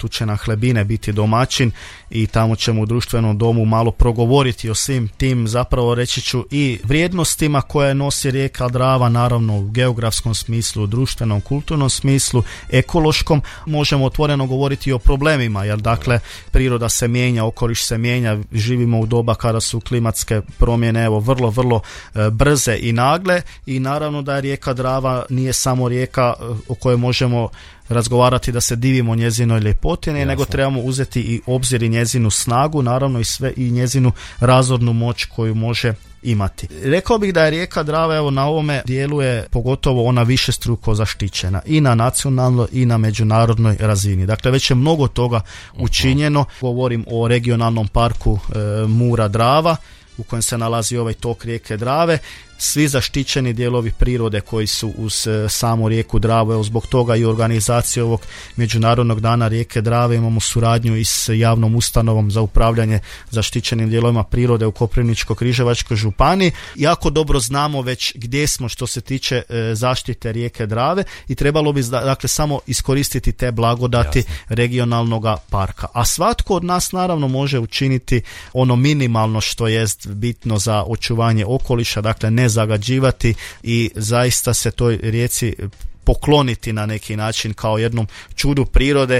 Tu će na Hlebine biti domaćin i tamo ćemo u društvenom domu malo progovoriti o svim tim, zapravo reći ću, i vrijednostima koje nosi rijeka Drava, naravno u geografskom smislu, u društvenom, kulturnom smislu, ekološkom. Možemo otvoreno govoriti i o problemima, jer dakle priroda se mijenja, okoliš se mijenja, živimo u doba kada su klimatske promjene evo vrlo brze i nagle, i naravno da je rijeka Drava nije samo rijeka o kojoj možemo razgovarati da se divimo njezinoj ljepoti, nego trebamo uzeti i obzir i njezinu snagu, naravno i njezinu razornu moć koju može imati. Rekao bih da je rijeka Drava evo na ovome dijelu je pogotovo ona višestruko zaštićena i na nacionalnoj i na međunarodnoj razini. Dakle, već je mnogo toga učinjeno. Govorim o regionalnom parku Mura-Drava u kojem se nalazi ovaj tok rijeke Drave. Svi zaštićeni dijelovi prirode koji su uz samu rijeku Dravu, evo zbog toga i organizacije ovog Međunarodnog dana rijeke Drave imamo suradnju i s javnom ustanovom za upravljanje zaštićenim dijelovima prirode u Koprivničko-križevačkoj županiji. Jako dobro znamo već gdje smo što se tiče zaštite rijeke Drave i trebalo bi dakle samo iskoristiti te blagodati regionalnog parka. A svatko od nas naravno može učiniti ono minimalno što jest bitno za očuvanje okoliša, dakle ne zagađivati i zaista se toj rijeci pokloniti na neki način kao jednom čudu prirode.